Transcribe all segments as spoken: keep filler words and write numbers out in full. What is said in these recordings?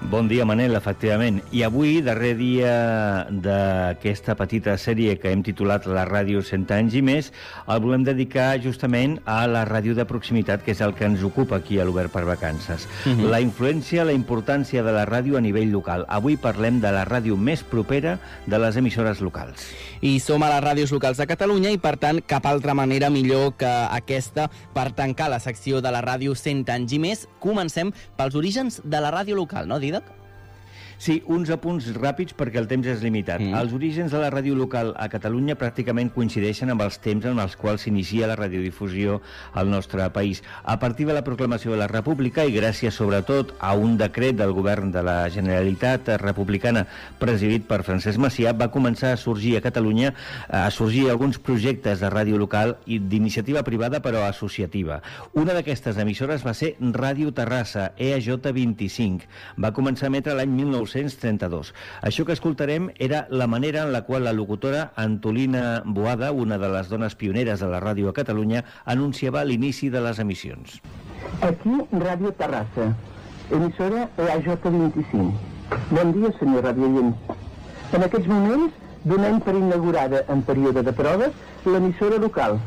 Bon dia, Manel, efectivament. I avui, darrer dia d'aquesta petita sèrie que hem titulat La ràdio cent anys i més, el volem dedicar justament a la ràdio de proximitat, que és el que ens ocupa aquí a l'Obert per Vacances. Uh-huh. La influència, la importància de la ràdio a nivell local. Avui parlem de la ràdio més propera de les emissores locals. I som a les ràdios locals de Catalunya i, per tant, cap altra manera millor que aquesta per tancar la secció de la ràdio cent anys i més. Comencem pels orígens de la ràdio local, no, Didac? Sí, uns apunts ràpids perquè el temps és limitat. Mm. Els orígens de la ràdio local a Catalunya pràcticament coincideixen amb els temps en els quals s'inicia la radiodifusió al nostre país. A partir de la proclamació de la República i gràcies sobretot a un decret del govern de la Generalitat republicana presidit per Francesc Macià, va començar a sorgir a Catalunya a sorgir alguns projectes de ràdio local i d'iniciativa privada però associativa. Una d'aquestes emissores va ser Ràdio Terrassa, E A J vint-i-cinc. Va començar a emetre l'any mil nou-cents trenta-dos. Això que escoltarem era la manera en la qual la locutora Antolina Boada, una de les dones pioneres de la ràdio a Catalunya, anunciava l'inici de les emissions. Aquí, Ràdio Terrassa, emissora E A J vint-i-cinc. Bon dia, senyor radioient. En aquests moments donem per inaugurada en període de proves l'emissora local.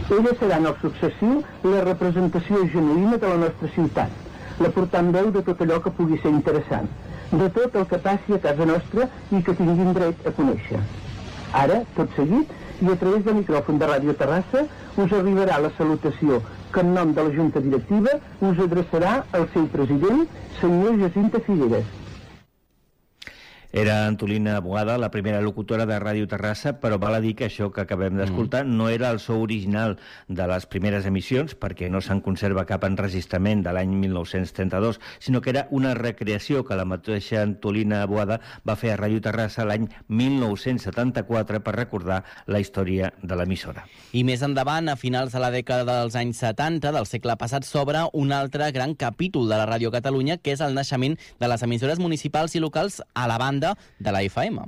Ella serà en el successiu la representació genuïna de la nostra ciutat, la portaveu de tot allò que pugui ser interessant, de tot el que passi a casa nostra i que tinguin dret a conèixer. Ara, tot seguit, i a través del micròfon de Ràdio Terrassa, us arribarà la salutació que en nom de la Junta Directiva us adreçarà el seu president, senyor Jacinta Figueres. Era Antolina Boada, la primera locutora de Ràdio Terrassa, però val a dir que això que acabem d'escoltar mm. no era el so original de les primeres emissions, perquè no se'n conserva cap enregistrament de l'any mil nou-cents trenta-dos, sinó que era una recreació que la mateixa Antolina Boada va fer a Ràdio Terrassa l'any mil nou-cents setanta-quatre per recordar la història de l'emissora. I més endavant, a finals de la dècada dels anys setanta del segle passat, s'obre un altre gran capítol de la Ràdio Catalunya, que és el naixement de les emissores municipals i locals a la banda de la F M.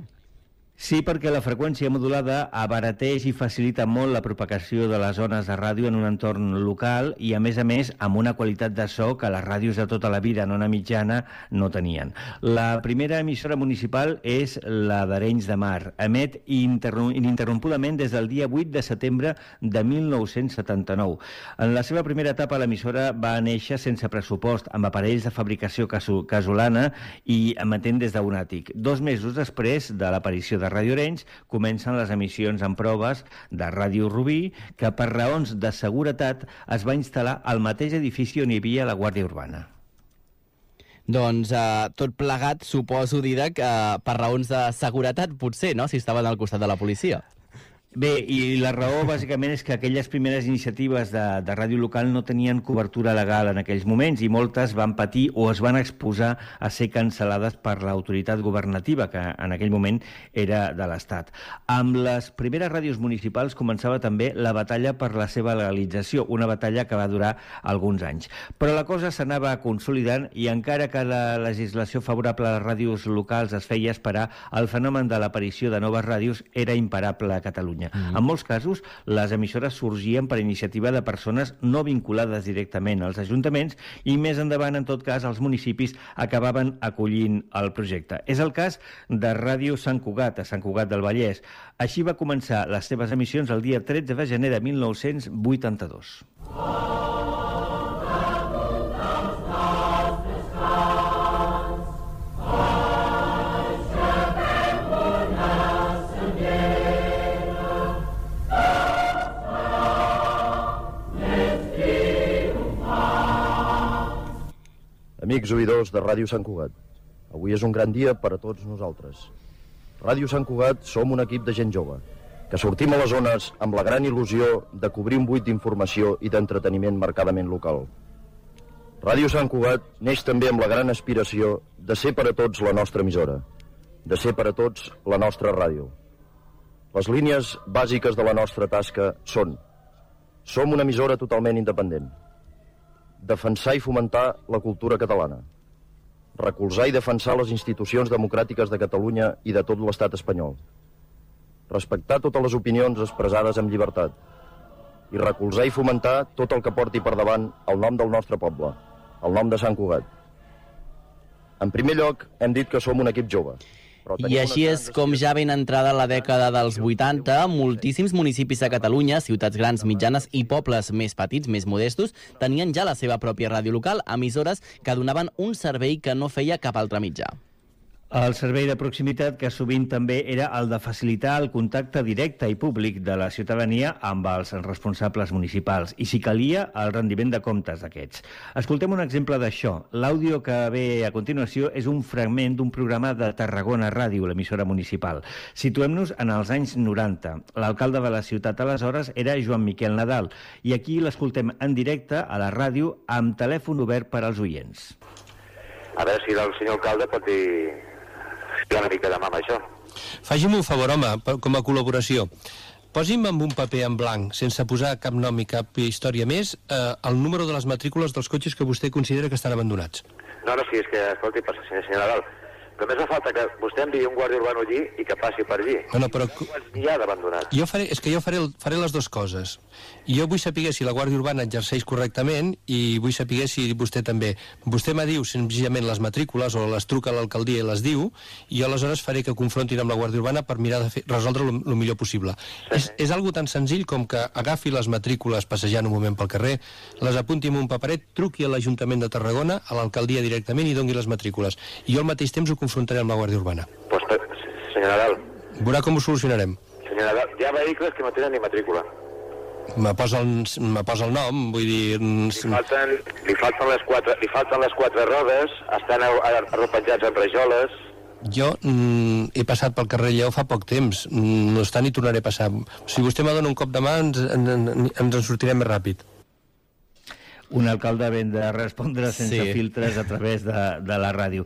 Sí, perquè la freqüència modulada abarateix i facilita molt la propagació de les ones de ràdio en un entorn local i, a més a més, amb una qualitat de so que les ràdios de tota la vida en ona mitjana no tenien. La primera emissora municipal és la d'Arenys de Mar. Emet ininterrompudament des del dia vuit de setembre de mil nou-cents setanta-nou. En la seva primera etapa, l'emissora va néixer sense pressupost, amb aparells de fabricació casolana i emetent des d'un àtic. Dos mesos després de l'aparició de Ràdio Arenys, comencen les emissions en proves de Ràdio Rubí, que per raons de seguretat es va instal·lar al mateix edifici on hi havia la Guàrdia Urbana. Doncs eh, tot plegat, suposo, Didac, eh, per raons de seguretat, potser, no?, si estaven al costat de la policia. Bé, i la raó bàsicament és que aquelles primeres iniciatives de, de ràdio local no tenien cobertura legal en aquells moments i moltes van patir o es van exposar a ser cancel·lades per l'autoritat governativa, que en aquell moment era de l'Estat. Amb les primeres ràdios municipals començava també la batalla per la seva legalització, una batalla que va durar alguns anys. Però la cosa s'anava consolidant i encara que la legislació favorable a les ràdios locals es feia esperar, el fenomen de l'aparició de noves ràdios era imparable a Catalunya. Mm-hmm. En molts casos, les emissores sorgien per iniciativa de persones no vinculades directament als ajuntaments i més endavant, en tot cas, els municipis acabaven acollint el projecte. És el cas de Ràdio Sant Cugat, a Sant Cugat del Vallès. Així va començar les seves emissions el dia tretze de gener de mil nou-cents vuitanta-dos. Amics oïdors de Ràdio Sant Cugat, avui és un gran dia per a tots nosaltres. Ràdio Sant Cugat som un equip de gent jove, que sortim a les zones amb la gran il·lusió de cobrir un buit d'informació i d'entreteniment marcadament local. Ràdio Sant Cugat neix també amb la gran aspiració de ser per a tots la nostra emissora, de ser per a tots la nostra ràdio. Les línies bàsiques de la nostra tasca són: som una emissora totalment independent, defensar i fomentar la cultura catalana, recolzar i defensar les institucions democràtiques de Catalunya i de tot l'estat espanyol, respectar totes les opinions expressades amb llibertat i recolzar i fomentar tot el que porti per davant el nom del nostre poble, el nom de Sant Cugat. En primer lloc, hem dit que som un equip jove. I així és com ja ben entrada la dècada dels vuitanta, moltíssims municipis de Catalunya, ciutats grans, mitjanes i pobles més petits, més modestos, tenien ja la seva pròpia ràdio local, emissores que donaven un servei que no feia cap altre mitjà. El servei de proximitat, que sovint també era el de facilitar el contacte directe i públic de la ciutadania amb els responsables municipals i, si calia, el rendiment de comptes d'aquests. Escoltem un exemple d'això. L'àudio que ve a continuació és un fragment d'un programa de Tarragona Ràdio, l'emissora municipal. Situem-nos en els anys noranta. L'alcalde de la ciutat aleshores era Joan Miquel Nadal i aquí l'escoltem en directe a la ràdio amb telèfon obert per als oients. A veure si el senyor alcalde pot dir... una mica de mà amb això. Faci'm un favor, home, com a col·laboració. Posi'm amb un paper en blanc, sense posar cap nom i cap història més, eh, el número de les matrícules dels cotxes que vostè considera que estan abandonats. No, no, sí, és que, escolti, per senyor, senyor Nadal, només fa falta que vostè enviï un guàrdia urbano allí i que passi per allí. No, no, però... N'hi ha d'abandonats. Jo faré, és que jo faré, faré les dues coses. Jo vull saber si la Guàrdia Urbana exerceix correctament i vull saber si vostè també. Vostè me diu senzillament les matrícules o les truca a l'alcaldia i les diu, i jo aleshores faré que confrontin amb la Guàrdia Urbana per mirar de fer, resoldre el millor possible. Sí. És, és algo tan senzill com que agafi les matrícules passejant un moment pel carrer, les apunti en un paperet, truqui a l'Ajuntament de Tarragona, a l'alcaldia directament i doni les matrícules. I jo al mateix temps ho confrontaré amb la Guàrdia Urbana. Pues, senyor Nadal... Veurà com ho solucionarem. Senyor Nadal, hi ha vehicles que no tenen ni matrícula. Me posa el, me posa el nom, vull dir... Li falten, li falten, les, quatre, li falten les quatre rodes, estan arropenjats en rajoles... Jo mm, he passat pel carrer Lleó fa poc temps, mm, no està ni tornaré a passar. Si vostè me dona un cop de mà, ens, en, en, ens en sortirem més ràpid. Un alcalde ben de respondre sense sí. filtres a través de, de la ràdio.